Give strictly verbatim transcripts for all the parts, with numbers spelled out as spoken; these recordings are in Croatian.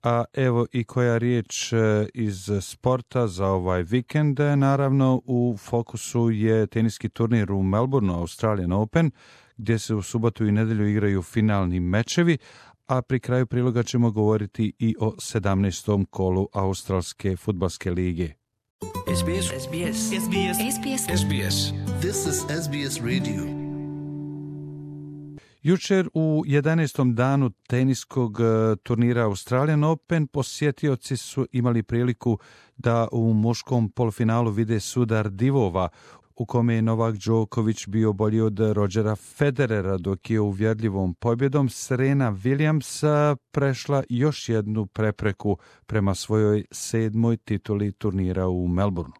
a evo i koja riječ iz sporta za ovaj vikend. Naravno, u fokusu je teniski turnir u Melbourneu, Australian Open, gdje se u subotu i nedjelju igraju finalni mečevi, a pri kraju priloga ćemo govoriti i o sedamnaestom kolu Australske fudbalske lige. S B S. S B S. S B S. S B S. S B S. This is S B S Radio. Jučer u jedanaestom danu teniskog turnira Australian Open posjetioci su imali priliku da u muškom polufinalu vide sudar divova, u kome je Novak Đoković bio bolji od Rodgera Federera, dok je uvjerljivom pobjedom Serena Williams prešla još jednu prepreku prema svojoj sedmoj tituli turnira u Melbourneu.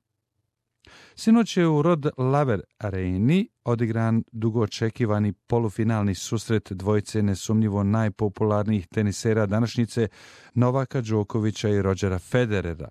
Sinoć je u Rod Laver Areni odigran dugo očekivani polufinalni susret dvojice nesumnjivo najpopularnijih tenisera današnjice, Novaka Đokovića i Rodgera Federera.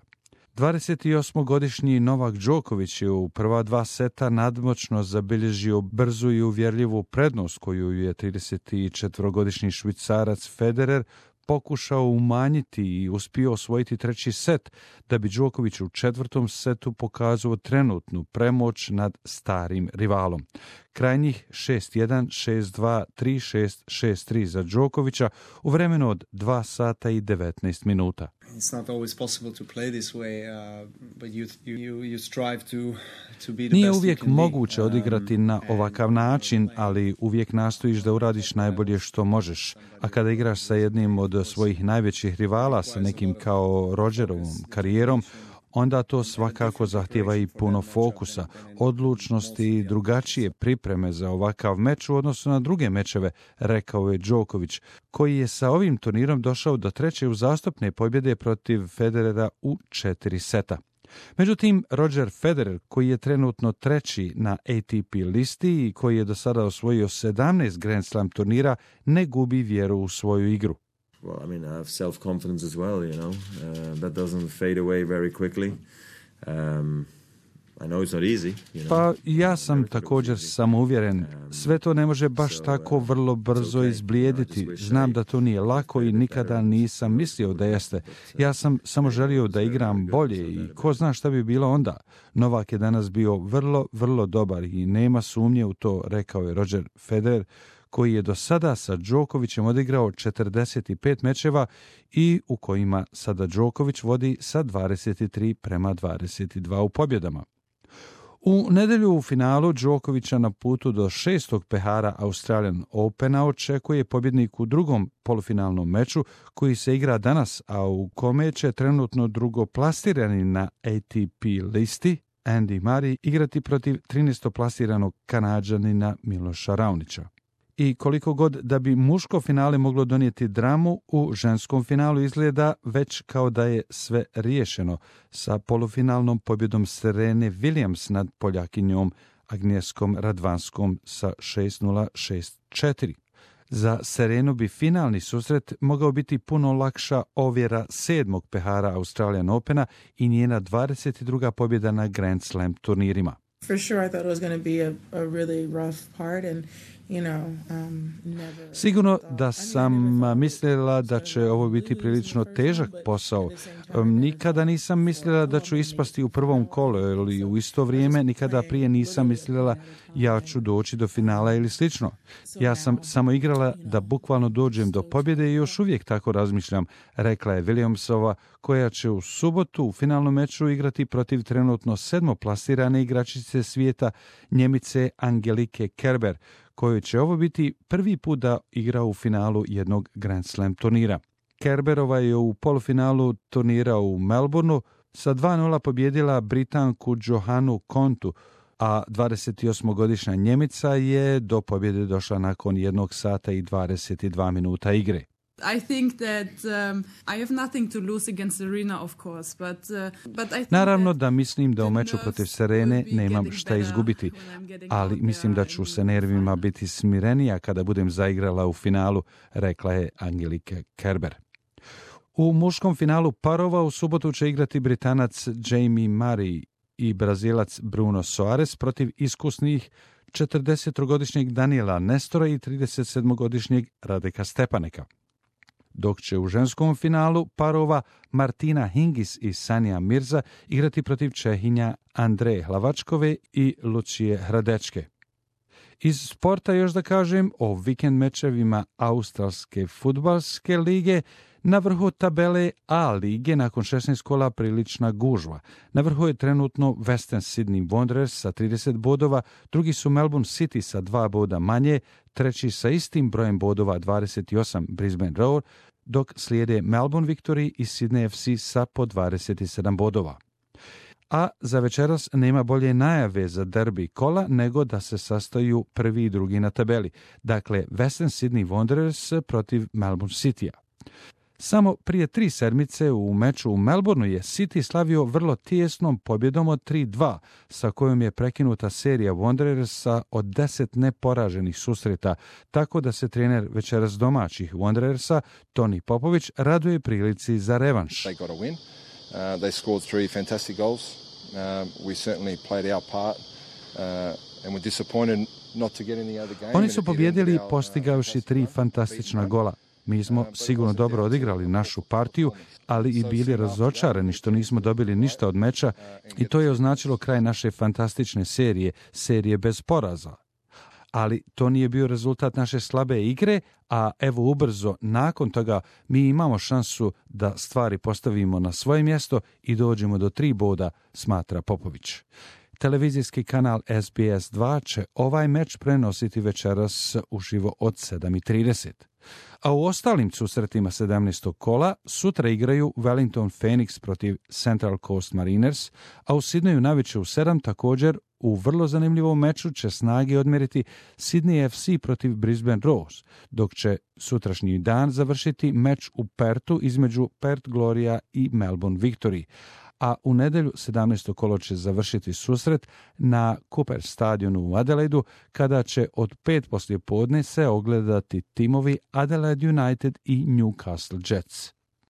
dvadesetosmogodišnji Novak Đoković je u prva dva seta nadmoćno zabilježio brzu i uvjerljivu prednost koju je tridesetčetvorogodišnji Švicarac Federer pokušao umanjiti i uspio osvojiti treći set, da bi Đoković u četvrtom setu pokazao trenutnu premoć nad starim rivalom. Krajnjih šest jedan, šest dva, tri šest, šest tri za Đokovića u vremenu od dva sata i devetnaest minuta. It's not always possible to play this way, uh, but you, you, you strive to, to be the Nije best uvijek you can moguće be. odigrati na ovakav način, ali uvijek nastojiš da uradiš najbolje što možeš. A kada igraš sa jednim od svojih najvećih rivala, sa nekim kao Rodgerovom karijerom, onda to svakako zahtijeva i puno fokusa, odlučnosti i drugačije pripreme za ovakav meč u odnosu na druge mečeve, rekao je Đoković, koji je sa ovim turnirom došao do treće uzastopne pobjede protiv Federera u četiri seta. Međutim, Rodger Federer, koji je trenutno treći na A T P listi i koji je do sada osvojio sedamnaest Grand Slam turnira, ne gubi vjeru u svoju igru. Well, I mean, I have self-confidence as well, you know. Uh, that doesn't fade away very quickly. Um, I know it's not easy, you know. Pa ja sam također samouvjeren. Sve to ne može baš tako vrlo brzo izblijediti. Znam da to nije lako i nikada nisam mislio da jeste. Ja sam samo želio da igram bolje i ko zna šta bi bilo onda. Novak je danas bio vrlo, vrlo dobar i nema sumnje u to, rekao je Rodger Federer, koji je do sada sa Đokovićem odigrao četrdeset pet mečeva i u kojima sada Đoković vodi sa dvadeset tri prema dvadeset dva u pobjedama. U nedjelju u finalu Đokovića na putu do šestog pehara Australian Opena očekuje pobjednik u drugom polufinalnom meču koji se igra danas, a u kome će trenutno drugoplasirani na A T P listi Andy Murray igrati protiv trinaestoplasiranog Kanađanina Miloša Raonića. I koliko god da bi muško finale moglo donijeti dramu, u ženskom finalu izgleda već kao da je sve riješeno sa polufinalnom pobjedom Serene Williams nad Poljakinjom Agnieszką Radwanską sa šest nula, šest četiri. Za Serenu bi finalni susret mogao biti puno lakša ovjera sedmog pehara Australian Opena i njena dvadeset druga pobjeda na Grand Slam turnirima. For sure, I thought it was going to be a, a really rough part and, you know, um, never... Sigurno da sam mislila da će ovo biti prilično težak posao. Nikada nisam mislila da ću ispasti u prvom kolu ili u isto vrijeme nikada prije nisam mislila ja ću doći do finala ili slično. Ja sam samo igrala da bukvalno dođem do pobjede i još uvijek tako razmišljam, rekla je Williamsova, koja će u subotu u finalnom meču igrati protiv trenutno sedmoplasirane igračice svijeta Njemice Angelike Kerber, kojoj će ovo biti prvi put da igra u finalu jednog Grand Slam turnira. Kerberova je u polufinalu turnira u Melbourneu sa dva nula pobjedila Britanku Johanu Kontu, a dvadesetosmogodišnja Njemica je do pobjede došla nakon jednog sata i dvadeset dva minuta igre. I think that um, I have nothing to lose against Serena, of course, but, uh, but I think Naravno da mislim da u meču protiv Serene nemam šta izgubiti, ali mislim da ću sa nervima biti smirenija kada budem zaigrala u finalu, rekla je Angelike Kerber. U muškom finalu parova u subotu će igrati Britanac Jamie Murray i Brazilac Bruno Soares protiv iskusnih četrdesettrogodišnjeg Daniela Nestora i tridesetsedmogodišnjeg Radeka Stepaneka. dok će u ženskom finalu parova Martina Hingis i Sanja Mirza igrati protiv Čehinja Andreje Hlavačkove i Lucije Hradečke. Iz sporta još da kažem o vikend mečevima Australske fudbalske lige. Na vrhu tabele A lige nakon šesnaest kola prilična gužva. Na vrhu je trenutno Western Sydney Wanderers sa trideset bodova, drugi su Melbourne City sa dva boda manje, treći sa istim brojem bodova dvadeset osam Brisbane Roar, dok slijede Melbourne Victory i Sydney F C sa po dvadeset sedam bodova. A za večeras nema bolje najave za derbi kola nego da se sastaju prvi i drugi na tabeli. Dakle, Western Sydney Wanderers protiv Melbourne Citya. Samo prije tri sedmice u meču u Melbourneu je City slavio vrlo tijesnom pobjedom od tri dva, sa kojom je prekinuta serija Wanderersa od deset neporaženih susreta, tako da se trener večeras domaćih Wanderersa, Toni Popović, raduje prilici za revanš. They got a win. Uh, they scored three fantastic goals. Uh, we certainly played our part uh, and we're disappointed not to get in the other game. Oni su pobjedili postigavši tri fantastična gola. Mi smo sigurno dobro odigrali našu partiju, ali i bili razočarani što nismo dobili ništa od meča i to je označilo kraj naše fantastične serije, serije bez poraza. Ali to nije bio rezultat naše slabe igre, a evo ubrzo nakon toga mi imamo šansu da stvari postavimo na svoje mjesto i dođemo do tri boda, smatra Popović. Televizijski kanal S B S dva će ovaj meč prenositi večeras uživo od sedam i trideset. A u ostalim susretima sedamnaestog kola sutra igraju Wellington Phoenix protiv Central Coast Mariners, a u Sidneju navečer u sedam također u vrlo zanimljivom meču će snage odmjeriti Sydney F C protiv Brisbane Roars, dok će sutrašnji dan završiti meč u Perthu između Perth Gloria i Melbourne Victory. A u nedjelju sedamnaesto kolo će završiti susret na Cooper stadionu u Adelaidu, kada će od pet poslijepodne se ogledati timovi Adelaide United i Newcastle Jets.